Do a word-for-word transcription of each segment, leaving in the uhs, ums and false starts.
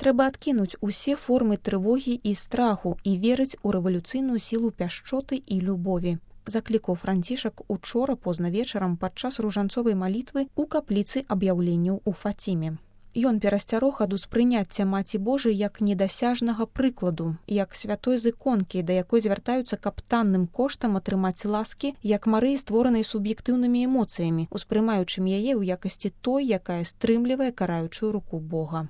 Трэба адкінуць усе формы трывогі і страху і верыць у рэвалюцыйную сілу пяшчоты і любові. Заклікаў Францішак учора позна вечарам падчас ружанцовай малітвы ў капліцы аб'яўленняў у Фаціме. Ён перасцярог ад успрыняцця Маці Божай як недасяжнага прыкладу, як святой з іконкі, да якой звяртаюцца каб танным коштам атрымаць ласкі, як Марыі, створанай суб'ектыўнымі эмоцыямі, успрымаючым яе ў якасці той, якая стрымлівае караючую руку Бога.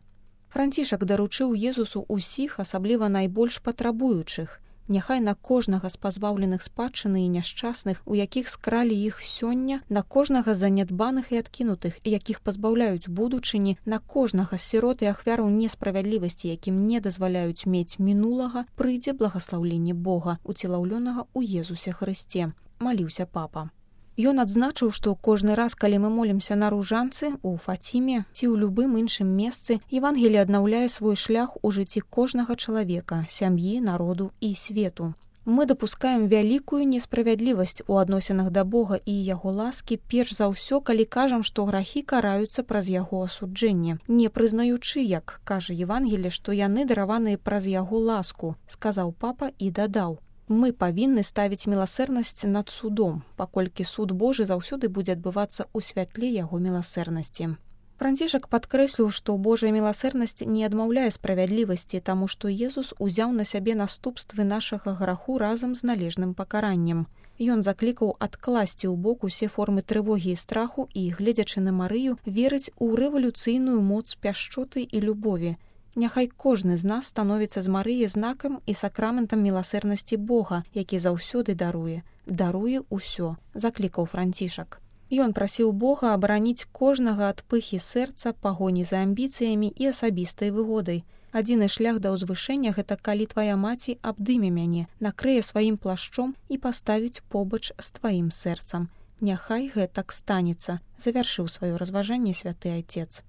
Францішак даручыў Езусу ўсіх, асабліва найбольш патрабуючых. Няхай на кожнага з пазбаўленых спадчыны і няшчасных, у якіх скралі іх сёння, на кожнага з занядбаных і адкінутых, якіх пазбаўляюць будучыні, на кожнага з сірот і ахвяраў несправядлівасці, якім не дазваляюць мець мінулага, прыйдзе благаслаўленне Бога, уцелаўлёнага ў Езусе Хрысце, маліўся папа. Ён адзначыў, што кожны раз, калі мы молімся на ружанцы, у Фаціме ці ў любым іншым месцы, Евангелие аднаўляе свой шлях у жыцці кожнага чалавека, сям'і, народу і свету. Мы дапускаем вялікую несправядлівасць у адносінах да Бога і яго ласкі, перш за ўсё, калі кажам, што грахі караюцца праз яго асуджэнне, не прызнаючы, як кажа Евангелие, што яны дараваныя праз яго ласку, сказаў папа і дадаў: мы павінны ставіць міласэрнасць над судом, паколькі суд Божы заўсёды будзе адбывацца ў святле яго міласэрнасці. Францішак падкрэсліў, што Божая міласэрнасць не адмаўляе справядлівасці, таму што Езус узяў на сябе наступствы нашага граху разам з належным пакараннем. Ён заклікаў адкласці ў бок усе формы трывогі і страху і, гледзячы на Марыю, верыць у рэвалюцыйную моц пяшчоты і любові. Няхай кожны з нас становіцца з Марыі знакам і сакраментам міласэрнасці Бога, які заўсёды даруе. Даруе ўсё, заклікаў Францішак. Ён прасіў Бога абараніць кожнага ад пыхі сэрца, пагоні за амбіцыямі і асабістай выгодай. Адзіны шлях да ўзвышэння — гэта калі твая маці абдыме мяне, накрые сваім плашчом і паставіць побач з тваім сэрцам. Няхай гэтак станецца, завяршыў сваё разважанне святы айцец.